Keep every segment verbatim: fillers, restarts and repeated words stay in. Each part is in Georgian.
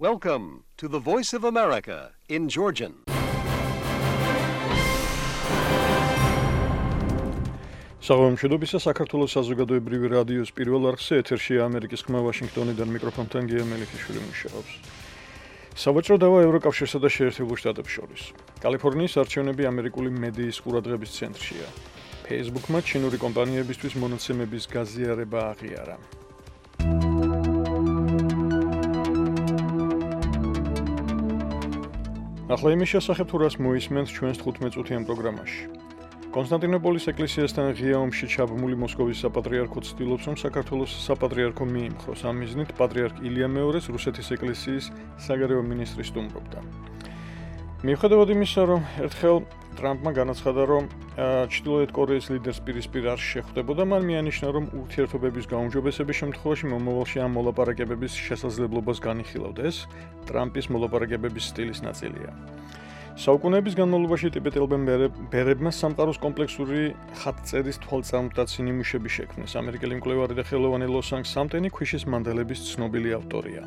Welcome to the Voice of America in Georgian. საღამომშვიდობისა საქართველოს საზოგადოებრივი რადიოს პირველ არხზე ეთერშია ამერიკის ხმა ვაშინგტონიდან მიკროფონთან გია მელიქიშვილი მუშაობს. სავაჭრო დავა ევროკავშირსა და შეერთებულ შტატებს შორის. კალიფორნიის არჩევნები ამერიკული მედიის ყურადღების ცენტრშია. Facebook-მა ჩინური კომპანიებისთვის მონაცემების გაზიარება აღიარა. ახლა იმის შესახებ თუ რას მოისმენთ ჩვენს თხუთმეტ წუთიან პროგრამაში. კონსტანტინოპოლის ეკლესიასთან ღია ომში ჩაბმული მოსკოვის საპატრიარქო ცდილობს, რომ საქართველოს საპატრიარქო მიიმხროს. ამ მიზნით პატრიარქ ილია მეორეს რუსეთის ეკლესიის საგარეო მინისტრი სტუმრობდა. მიუხედავად იმისა, რომ ერთხელ ტრამპმა განაცხადა, რომ ჩრდილოეთ კორეის ლიდერს პირისპირ არ შეხვდებოდა, მან მიანიშნა, რომ ურთიერთობების გაუმჯობესების შემთხვევაში მომავალში ამ მოლაპარაკებების შესაძლებლობას განიხილავდა. ეს ტრამპის მოლაპარაკებების სტილის ნაწილია. საუკუნეების განმავლობაში ტიბეტელმა ბერებმა სამყაროს კომპლექსური ხატწერის თვალწარმტაცი ნიმუშები შექმნეს. ამერიკელი მკვლევარი და ხელოვანი ლოსანგ სამტენი ქვიშის მანდელების ცნობილი ავტორია.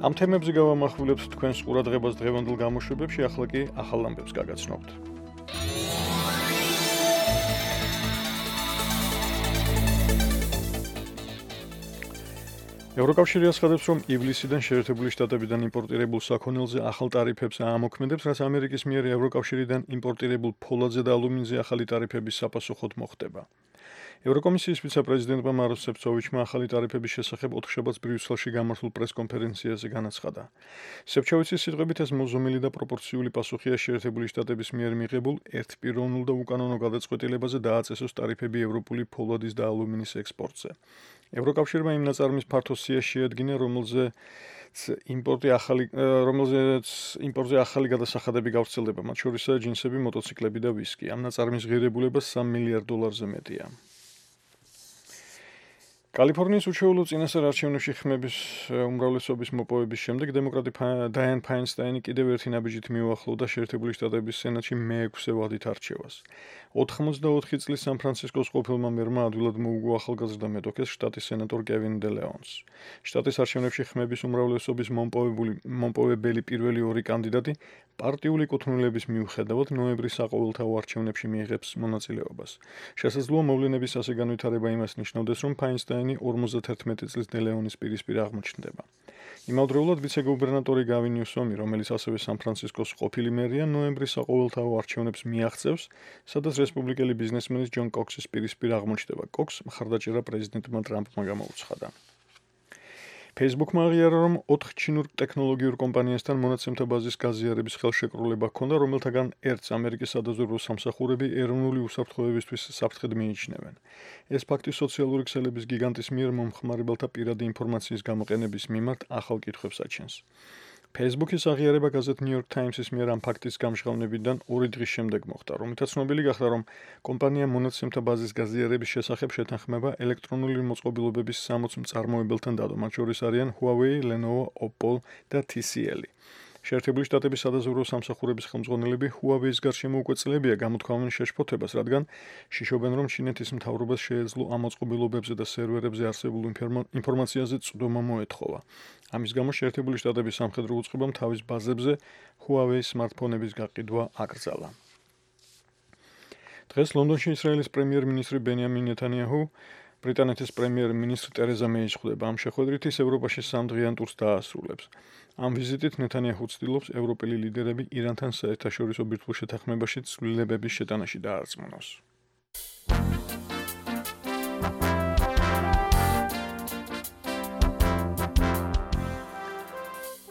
ამ თემებზე გავამახვილებთ თქვენს ყურადღებას დღევანდელ გამოშვებებში, ახლა კი ახალ ამბებს გაგაცნობთ. ევროკავშირი აცხადებს, რომ ივლისიდან შეერთებული შტატებიდან იმპორტირებულ საქონელზე ახალ ტარიფებს აამოქმედებს, რაც ამერიკის მიერ ევროკავშირიდან იმპორტირებულ ფოლადზე და ალუმინზე ახალი ტარიფების საპასუხოდ მოხდება. ევროკომისიის ვიცე-პრეზიდენტმა მაროს სეფცოვიჩმა ახალი ტარიფების შესახებ ოთხშაბათს ბრიუსელში გამართულ პრეს-კონფერენციაზე განაცხადა. სეფცოვიჩის სიტყვებით ეს მოზომილი და პროპორციული პასუხია შეერთებული შტატების მიერ მიღებულ ერთპიროვნულ და უკანონო გადაწყვეტილებაზე დააწესოს ტარიფები ევროპული ფოლადის და ალუმინის ექსპორტზე. ევროკავშირმა იმ ნაწარმის ფართო სია შეადგინა, რომელზეც იმპორტი ახალი რომელზეც იმპორტზე ახალი გადასახადები გავრცელდება, მათ შორისაა ჯინსები, მოტოციკლები და ვისკი. ამ ნაწარმის ღირებულება სამ მილიარდ დოლარზე მეტია. კალიფორნიის უჩვეულო წინასწარ არჩევნებში ხმების უმრავლესობის მოპოვების შემდეგ დემოკრატი დაიან ფაინსტაინი კიდევ ერთი ნაბიჯით მიუახლოვდა შეერთებული შტატების სენატში მეექვსე ვადით არჩევას. ოთხმოცდაოთხი წლის სან-ფრანცისკოს ყოფილმა მერმა ადვილად მოუგო ახალგაზრდა მეტოქეს შტატის სენატორ კევინ დე ლეონს. შტატის არჩევნებში ხმების უმრავლესობის მომპოვებელი პირველი ორი კანდიდატი პარტიული კუთვნილების მიუხედავად ნოემბრის საყოველთაო არჩევნებში მიიღებს მონაწილეობას. შესაძლოა მოვლენების ასე განვითარება იმას ნიშნავდეს, რომ ფაინსტაინი ორმოცდათერთმეტი წლის დე ლეონის პირისპირ აღმოჩნდება. იმავდროულად ვიცე-გუბერნატორი გავინ ნიუსომი, რომელიც ასევე სან-ფრანცისკოს ყოფილი მერია, ნოემბრის საყოველთაო არჩევნებს მიაღწევს, სადაც რესპუბლიკელი ბიზნესმენის ჯონ კოქსის პირისპირ აღმოჩნდება. კოქს მხარდაჭერა პრეზიდენტმა ტრამპმა გამოუცხადა. Facebook-მა აღიარა, რომ ოთხ ჩინურ ტექნოლოგიურ კომპანიასთან მონაცემთა ბაზის გაზიარების ხელშეკრულება ჰქონდა, რომელთაგან ერთს ამერიკის სადაზვერვო სამსახურები ეროვნული უსაფრთხოებისთვის საფრთხედ მიიჩნევენ. ეს ფაქტი სოციალური ქსელების გიგანტის მიერ მომხმარებელთა პირადი ინფორმაციის გამოყენების მიმართ ახალ კითხვებს აჩენს. Facebook-ის აღიარება გაზეთ New York Times-ის მიერ ამ ფაქტის გამჟღავნებიდან ორი დღის შემდეგ მოხდა, რომლითაც ცნობილი გახდა, რომ კომპანია მონაცემთა ბაზის გაზიარების შესახებ შეთანხმება ელექტრონული მოწყობილობების სამოც მწარმოებელთან დადო, მათ შორის არიან Huawei, Lenovo, Oppo და T C L. შეერთებული შტატების სადაზვერვო სამსახურების ხელმძღვანელები Huawei-ის გარშემო უკვე წლებია გამოთქვამენ შეშფოთებას, რადგან შიშობენ, რომ ჩინეთის მთავრობას შეეძლო ამ მოწყობილობებზე და სერვერებზე არსებულ ინფორმაციაზე წვდომა მოეთხოვა. ამის გამო შეერთებული შტატების სამხედრო უწყებამ თავის ბაზებზე Huawei სმარტფონების გაყიდვა აკრძალა. დღეს ლონდონში ისრაელის პრემიერ-მინისტრი ბენიამინ ნეტანიაჰუ ბრიტანეთის პრემიერ-მინისტრ ტერეზა მეის ხვდება. ამ შეხვედრით ის ევროპაში სამდღიან ტურს დაასრულებს. ამ ვიზიტით ნეტანიაჰუ ცდილობს ევროპელი ლიდერები ირანთან საერთაშორისო ბირთვულ შეთანხმებაში ცვლილებების შეტანაში დაარწმუნოს.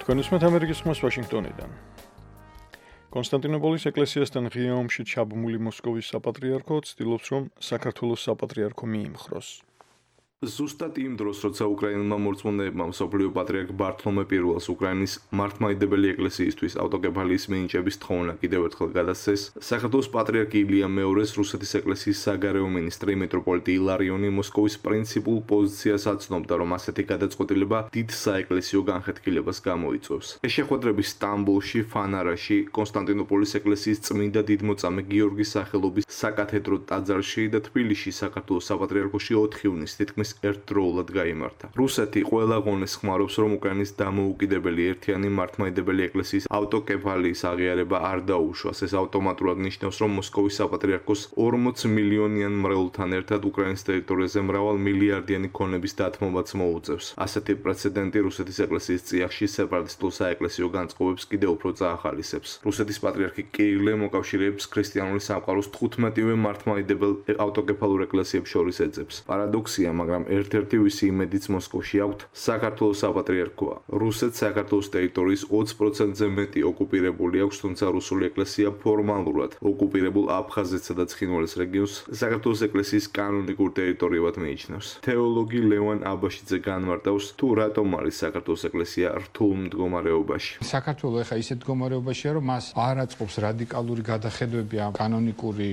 თქვენ უსმენთ ამერიკის ხმას ვაშინგტონიდან. კონსტანტინოპოლის ეკლესიასთან ღია ომში ჩაბმული მოსკოვის საპატრიარქო ცდილობს, რომ საქართველოს საპატრიარქო მიიმხროს. ზუსტად იმ დროს, როცა უკრაინელმა მორწმუნეებმა მსოფლიო პატრიარქ ბართლომე პირველს უკრაინის მართლმადიდებელი ეკლესიისთვის ავტოკეფალიის მინიჭების თხოვნა კიდევ ერთხელ გადასცეს, საქართველოს პატრიარქ ილია მეორეს რუსეთის ეკლესიის საგარეო მინისტრი მიტროპოლიტი ილარიონი მოსკოვის პრინციპულ პოზიციას აცნობდა, რომ ასეთი გადაწყვეტილება დიდ საეკლესიო განხეთქილებას გამოიწვევს. ეს შეხვედრები სტამბოლში, ფანარაში, კონსტანტინოპოლის ეკლესიის წმინდა დიდმოწამე გიორგის სახელობის საკათედრო ტაძარში და თბილისში საქართველოს საპატრიარქოში ოთხი ივნისს თითქმის უკრაინის ერთდროულად გაიმართა. რუსეთი ყველა ღონეს ხმარობს, რომ უკრაინის დამოუკიდებელი ერთიანი მართლმადიდებელი ეკლესიის ავტოკეფალიის აღიარება არ დაუშვას. ეს ავტომატურად ნიშნავს, რომ მოსკოვის საპატრიარქოს ორმოც მილიონიან მრევლთან ერთად უკრაინის ტერიტორიაზე მრავალ მილიარდიანი ქონების დათმობაც მოუწევს. ასეთი პრეცედენტი რუსეთის ეკლესიის წიაღში სეპარატისტულ საეკლესიო განწყობებს კიდევ უფრო წაახალისებს. რუსეთის პატრიარქი კირილე მოკავშირეებს ქრისტიანული სამყაროს თხუთმეტივე მართლმადიდებელ ავტოკეფალურ ეკლესიებს შორის ეძებს. პარადოქსია, მაგრამ ერთ-ერთი ვისი იმედიც მოსკოვში აქვთ საქართველოს საპატრიარქოა. რუსეთს საქართველოს ტერიტორიის ოცი პროცენტზე მეტი ოკუპირებული აქვს, თუმცა რუსული ეკლესია ფორმალურად ოკუპირებულ აფხაზეთსა და ცხინვალის რეგიონს საქართველოს ეკლესიის კანონიკურ ტერიტორიად მიიჩნევს. თეოლოგი ლევან აბაშიძე განმარტავს, თუ რატომ არის საქართველოს ეკლესია რთულ მდგომარეობაში. საქართველოს ეხა ისეთ მდგომარეობაშია, რომ მას არ აწყობს რადიკალური გადახედვები ამ კანონიკური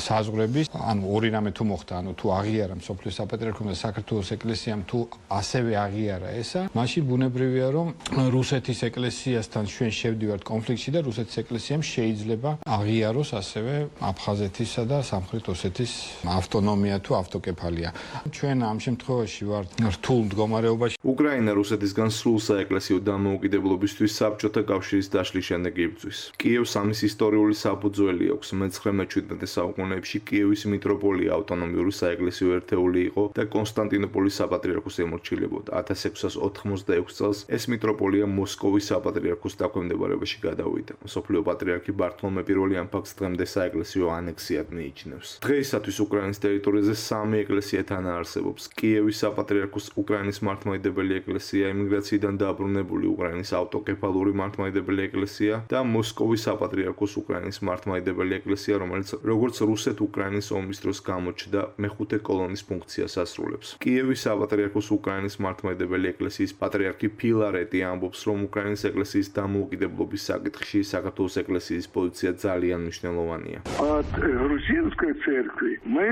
საზღვრების, ანუ ორი რამე თუ მოხდა, ანუ თუ აღიარა მსოფლიოს საპატრიარქომ და საქართველოს ეკლესიამ თუ ასევე აღიარა ესა, მაშინ ბუნებრივია, რომ რუსეთის ეკლესიასთან ჩვენ შევდივართ კონფლიქტში და რუსეთის ეკლესიამ შეიძლება აღიაროს ასევე აფხაზეთისა და სამხრეთ ოსეთის ავტონომია თუ ავტოკეფალია. ჩვენ ამ შემთხვევაში ვართ რთულ მდგომარეობაში. უკრაინა რუსეთისგან სრულ საეკლესიო დამოუკიდებლობისთვის საბჭოთა კავშირის დაშლის შემდეგ იბრძვის. კიევს ამის ისტორიული საფუძველი აქვს. მეცხრე-მეჩვიდმეტე საუკუნეებში კიევის მიტროპოლია ავტონომიური საეკლესიო ერთეული იყო და კონსტანტინოპოლის საპატრიარქოს ემორჩილებოდა. ათას ექვსას ოთხმოცდაექვსი წელს ეს მიტროპოლია მოსკოვის საპატრიარქოს დაქვემდებარებაში გადავიდა. მსოფლიო პატრიარქი ბართლომე პირველი ამ ფაქტს დღემდე საეკლესიო ანექსიად მიიჩნევს. დღეისათვის უკრაინის ტერიტორიაზე სამი ეკლესია თანაარსებობს. კიევის საპატრიარქოს უკრაინის მართლმადიდებელი ეკლესია, ემიგრაციიდან დაბრუნებული უკრაინის ავტოკეფალური მართლმადიდებელი ეკლესია და მოსკოვის საპატრიარქოს უკრაინის მართლმადიდებელი ეკლესია, რომელიც როგორც რუსეთ-უკრაინის ომის დროს გამოჩნდა, მეხუთე კოლონის ფუნქციას ასრულებს. კიევის საპატრიარქოს უკრაინის მართლმადიდებელი ეკლესიის პატრიარქი ფილარეტი ამბობს, რომ უკრაინის ეკლესიის დამოუკიდებლობის საკითხში საქართველოს ეკლესიის პოზიცია ძალიან მნიშვნელოვანია. От грузинской церкви мы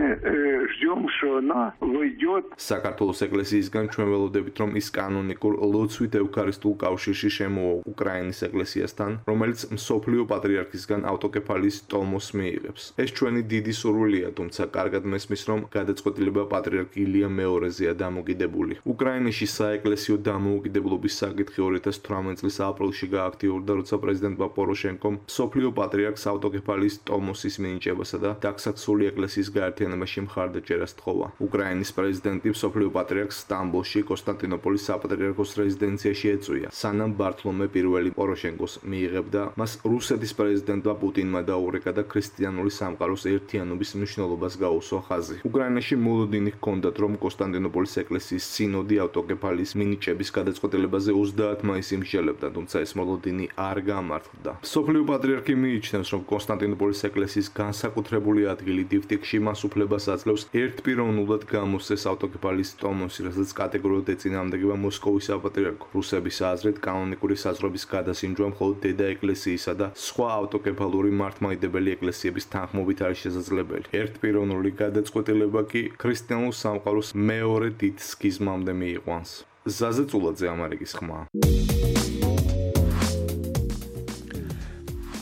ждем, что она войдет. საქართველოს ეკლესიისგან ჩვენ ველოდებით, რომ ის კანონიკურ ლოცვით ევქარისტიულ კავშირში შემოვა უკრაინის ეკლესიასთან, რომელიც მსოფლიო პატრიარქისგან ავტოკეფალიის ტომოს მიიღებს. ეს ჩვენი დიდი სურვილია, თუმცა კარგად მესმის, რომ გადაწყვეტილება პატრიარქ ილია მეორეზეა დამოკიდებული. უკრაინაში საეკლესიო დამოუკიდებლობის საკითხი ორი ათას თვრამეტი წლის აპრილში გააქტიურდა, როცა პრეზიდენტმა პოროშენკომ მსოფლიო პატრიარქს ავტოკეფალიის ტომოსის მინიჭებასა და დაქსაქსული ეკლესიის გაერთიანებაში მხარდაჭერას თხოვა. უკრაინის პრეზიდენტი მსოფლიო პატრიარქს სტამბოლში კონსტანტინოპოლის საპატრიარქოს რეზიდენციაში ეწვია, სანამ ბართლომე პირველი პოროშენკოს მიიღებდა, მას რუსეთის პრეზიდენტმა პუტინმა დაურეკა და ქრისტიანული სამყაროს ერთიანობის მნიშვნელობას გაუსვა ხაზი. უკრაინაში მოლოდინი ჰქონდათ, რომ კონსტანტინოპოლის ეკლესიის სინოდი ავტოკეფალიის მინიჭების გადაწყვეტილებაზე ოცდაათი მაისს იმსჯელებდა, თუმცა ეს მოლოდინი არ გამართლდა. მსოფლიო პატრიარქი მიიჩნევს, რომ კონსტანტინოპოლის ეკლესიის განსაკუთრებული ადგილი დიფტიქში მას უფლებას აძლევს ერთპიროვნულად გამოსცეს ავტოკეფალიის ტომოსი, რასაც კატეგორიულად ეწინააღმდეგება მოსკოვის საპატრიარქო. რუსების აზრით, კანონიკური საზღვრების გადასინჯვა მხოლოდ დედა ეკლესიისა და სხვა ავტოკეფალური მართლმადიდებელი ეკლესიების თანხმობით არის შესაძლებელი. ერთპიროვნული გადაწყვეტილება კი ქრისტიანულ სამყაროს მეორე დიდ სქიზმამდე მიიყვანს. ზაზე წულაძე, ამერიკის ხმა.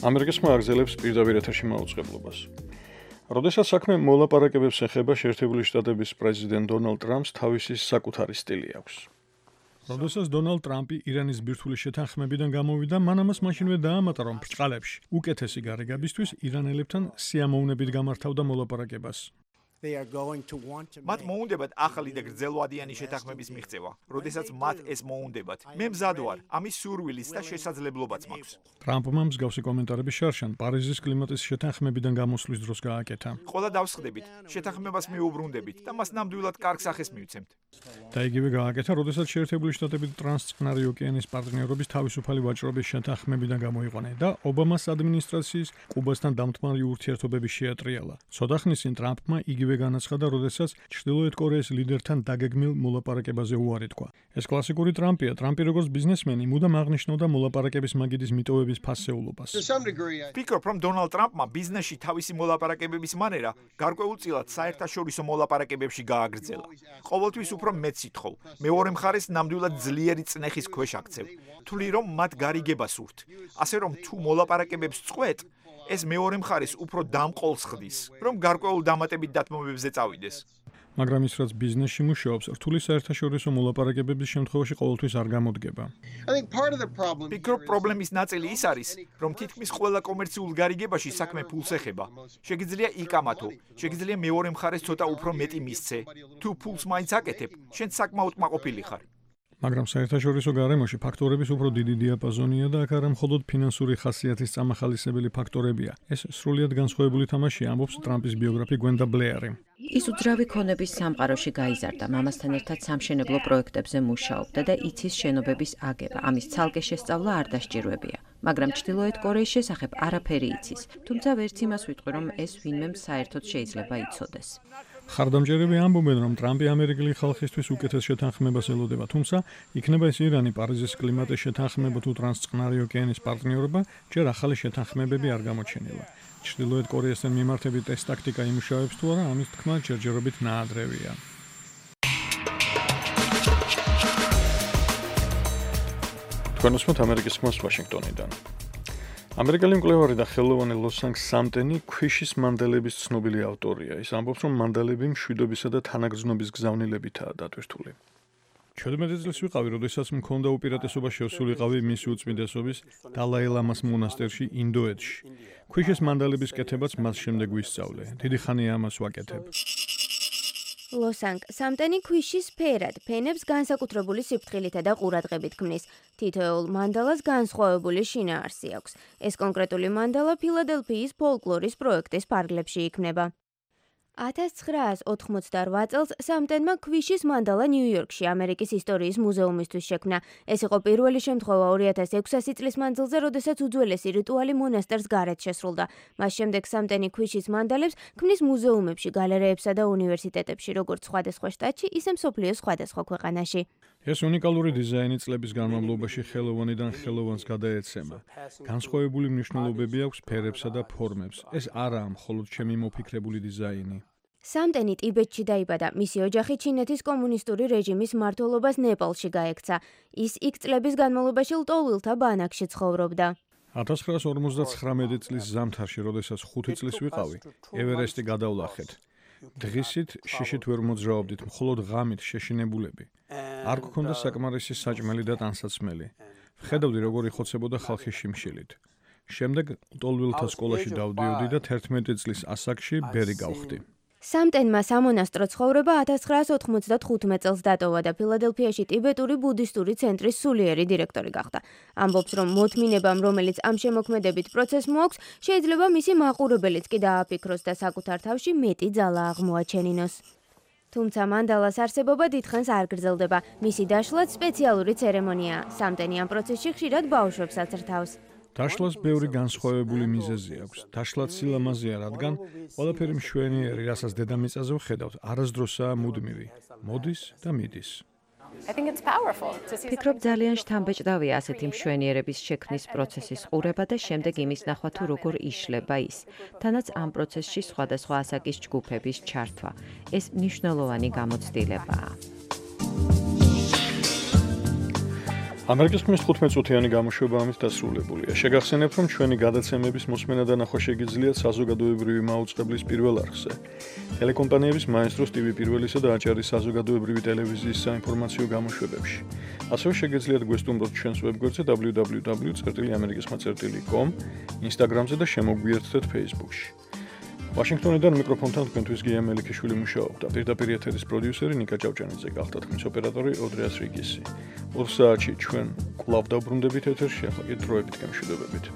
ამერიკის ხმა აგრძელებს პირდაპირ ეთერში მაუწყებლობას. როდესაც საქმე მოლაპარაკებებს ეხება, შეერთებული შტატების პრეზიდენტ დონალდ ტრამპს თავისი საკუთარი სტილი აქვს. როდესაც დონალდ ტრამპი ირანის ბირთვული შეთანხმებიდან გამოვიდა, მან ამას მაშინვე დაამატა, რომ ბრწყალებში უკეთესი გარეგებისთვის ირანელებთან სიამოვნებით გამართავდა მოლაპარაკებას. მათ მოუნდებათ ახალი და გრძელვადიანი შეთანხმების მიღწევა. როდესაც მათ ეს მოუნდებათ, მე მზად ვარ, ამის სურვილიც და შესაძლებლობაც მაქვს. ტრამპმა მსგავსი კომენტარები შარშან პარიზის კლიმატის შეთანხმებიდან გამოსვლის დროს გააკეთა. ყველა დავსხდებით, შეთანხმებას მიუბრუნდებით და მას ნამდვილად კარგ სახეს მივცემთ. და იგივე გააკეთა, როდესაც შეერთებული შტატები ტრანსწყნარი ოკეანის პარტნიორობის თავისუფალი ვაჭრობის შეთანხმებიდან გამოიყვანა და ობამას ადმინისტრაციის კუბასთან დამთმარი ურთიერთობების შეატრიალა. ცოტა ხნის წინ ტრამპმა იგივე განაცხადა, როდესაც ჩრდილოეთ კორეის ლიდერთან დაგეგმილ მოლაპარაკებაზე უარი თქვა. ეს კლასიკური ტრამპია. ტრამპი როგორც ბიზნესმენი მუდამ აღნიშნავდა მოლაპარაკების მაგიდის მიტოვების ფასეულობას. ვფიქრობ, რომ დონალდ ტრამპმა ბიზნესში თავისი მოლაპარაკებების მანერა გარკვეულწილად საერთაშორისო მოლაპარაკებებში გააგრძელა. ყოველთვის უფრო მეც სითხოვ. მეორე მხარეს ნამდვილად ძლიერი წნეხის ქვეშ აქცევ. თვლი რომ მათ გარიგება სურთ. ასე რომ თუ მოლაპარაკებებს წყვეტ, ეს მეორე მხარეს უფრო დამყოლს ხდის, რომ გარკვეულ დამატებით დათმობებზე წავიდეს. მაგრამ ის რაც ბიზნესში მუშაობს, რთული საერთაშორისო მოლაპარაკებების შემთხვევაში ყოველთვის არ გამოდგება. ფიქრობ, პრობლემის ნაწილი ის არის, რომ თითქმის ყველა კომერციულ გარიგებაში საქმე ფულს ეხება. შეგიძლია იკამათო, შეგიძლია მეორე მხარეს ცოტა უფრო მეტი მისცე. თუ ფულს მაინც აკეთებ, შენ საკმაოდ მაყოფილი ხარ. მაგრამ საერთაშორისო გარემოში ფაქტორების უფრო დიდი დიაპაზონია და აქ არა მხოლოდ ფინანსური ხასიათის წამახალისებელი ფაქტორებია. ეს სრულიად განსხვავებული თამაშია, ამბობს ტრამპის ბიოგრაფი გვენდა ბლეარი. ის უძრავი ქონების სამყაროში გაიზარდა, მამასთან ერთად სამშენებლო პროექტებზე მუშაობდა და იცის შენობების აგება. ამის ცალკე შესწავლა არ დასჭირვებია. მაგრამ ჩრდილოეთ კორეის შესახებ არაფერი იცის. თუმცა ვერც იმას ვიტყვი, რომ ეს ვინმემ საერთოდ შეიძლება იცოდეს. ხარდამჭერები ამბობენ, რომ ტრამპი ამერიკელი ხალხისთვის უკეთეს შეთანხმებას ელოდება, თუმცა იქნება ეს ირანი, პარიზის კლიმატის შეთანხმება თუ ტრანსწყნარი ოკეანის პარტნიორობა, ჯერ ახალი შეთანხმებები არ გამოჩენილა. ჩრდილოეთ კორეასთან მიმართებით ეს ტაქტიკა იმუშავებს თუ არა, ამის თქმა ჯერჯერობით ნაადრევია. თქვენ უსმენთ ამერიკის ხმას ვაშინგტონიდან. ამერიკელი მკვლევარი და ხელოვანი ლოს-ანჯელეს სამტენი ქვიშის მანდალების ცნობილი ავტორია. ის ამბობს, რომ მანდალები მშვიდობისა და თანაგრძნობის გზავნილებითაა დატვირთული. ჩვენმეტი წლის ვიყავი, როდესაც მქონდა უპირატესობა შევსულიყავი მისი უწმიდესობის დალაი ლამას მონასტერში ინდოეთში. ქვიშის მანდალების კეთებაც მას შემდეგ ვისწავლე. დიდი ხანია ამას ვაკეთებ. ლოს-ანჯელეს სამტენი ქვიშის ფერად, ფენებს განსაკუთრებული სიფრთხილითა და ყურადღებით ქმნის. თითოეულ მანდალას განსხვავებული შინაარსი აქვს. ეს კონკრეტული მანდალა ფილადელფიის ფოლკლორის პროექტის ფარგლებში იქმნება. ათას ცხრაას ოთხმოცდარვაც წელს სამტენმა ქვიშის მანდალა ნიუ-იორკში ამერიკის ისტორიის მუზეუმისთვის შექმნა. ეს იყო პირველი შემთხვევა ორი ათას ექვსასი წლის მანძილზე, როდესაც უძველესი რიტუალი მონასტერს გარეთ შესრულდა. მას შემდეგ სამტენი ქვიშის მანდალებს ქმნის მუზეუმებში, გალერეებსა და უნივერსიტეტებში, როგორც სხვადასხვა შტატში, ისე მსოფლიოს სხვადასხვა ქვეყანაში. ეს უნიკალური დიზაინი წლების განმავლობაში ხელოვანიდან ხელოვანს გადაეცემა. განსხვავებული მნიშვნელობები აქვს ფერებსა და ფორმებს. ეს არაა მხოლოდ ჩემი მოფიქრებული დიზაინი. სამტენი ტიბეტში დაიბადა. მისი ოჯახი ჩინეთის კომუნისტური რეჟიმის მმართველობას ნეპალში გაექცა. ის იქ წლების განმავლობაში ლტოლვილთა ბანაკში ცხოვრობდა. ათას ცხრაას ორმოცდაცხრამეტი წლის ზამთარში, როდესაც ხუთი წლის ვიყავი, ევერესტი გადავლახეთ. დღისით შიშით ვერ მოძრაობდით, მხოლოდ ღამით შეშინებულები. არ გქონდა საკმარისი საჭმელი და ტანსაცმელი. ვხედავდი, როგორ იხოცებოდა ხალხი შიმშილით. შემდეგ ლტოლვილთა სკოლაში დავდიოდი და თერთმეტი წლის ასაკში ბერი გავხდი. სამტენმა სამონასტრო ცხოვრება ათას ცხრაას ოთხმოცდახუთმეტ წელს დატოვა და ფილადელფიაში ტიბეტური ბუდისტური ცენტრის სულიერი დირექტორი გახდა. ამბობს, რომ მოთმინებამ, რომელიც ამ შემოქმედებით პროცესს მოაქვს, შეიძლება მისი მაყურებელიც კი დააფიქროს და საკუთარ თავში მეტი ძალა აღმოაჩენინოს. თუმცა მანდალას არსებობა დიდხანს არ გრძელდება. მისი დაშლაც სპეციალური ცერემონიაა. სამტენი ამ პროცესში ხშირად ბავშვებს აწრთავს. დაშლას ბევრი განსხვავებული მიზეზი აქვს. დაშლა სილამაზეა, რადგან ყველაფერი მშვენიერი, რასაც დედამიწაზე ვხედავთ, არასდროსაა მუდმივი. მოდის და მიდის. ფიქრობ, ძალიან შთამბეჭდავია ასეთი მშვენიერების შექმნის პროცესის ყურება და შემდეგ იმის ნახვა თუ როგორ იშლება ის. თანაც ამ პროცესში სხვადასხვა ასაკის ჯგუფების ჩართვა. ეს მნიშვნელოვანი გამოცდილებაა. ამერიკის ხმის თხუთმეტ წუთიანი გამოშვება ამით დასრულებულია. შეგახსენებთ, რომ ჩვენი გადაცემების მოსმენა და ნახვა შეგიძლიათ საზოგადოებრივი მაუწყებლის პირველ არხზე. ტელეკომპანიების მაესტროს ტივი პირველისა და აჭარის საზოგადოებრივი ტელევიზიის საინფორმაციო გამოშვებებში. ასევე შეგიძლიათ გვესტუმროთ ჩვენს ვებგვერდზე დაბლიუ დაბლიუ დაბლიუ წერტილი ამერიკისხმა წერტილი კომ, ინსტაგრამზე და შემოგვიერთდეთ ფეისბუქში. ვაშინგტონიდან მიკროფონთან თქვენთვის გია მელიქიშვილი მუშაობდა. პირდაპირ ეთერის პროდიუსერი ნიკა ჭავჭანიძე გახდა, ხმის ოპერატორი ოდრიას რიგისი. ორ საათში ჩვენ კვლავ დავბრუნდებით ეთერში, ახლა კი დროებით გამშვიდობებით.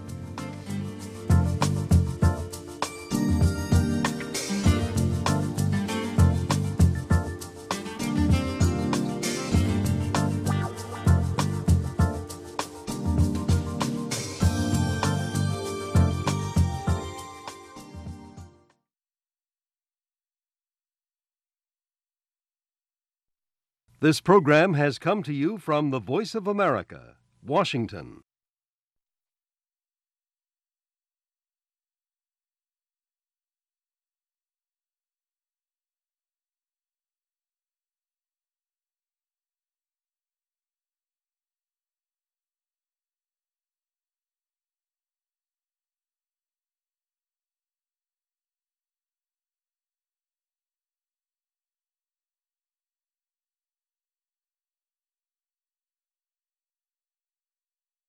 This program has come to you from the Voice of America, Washington.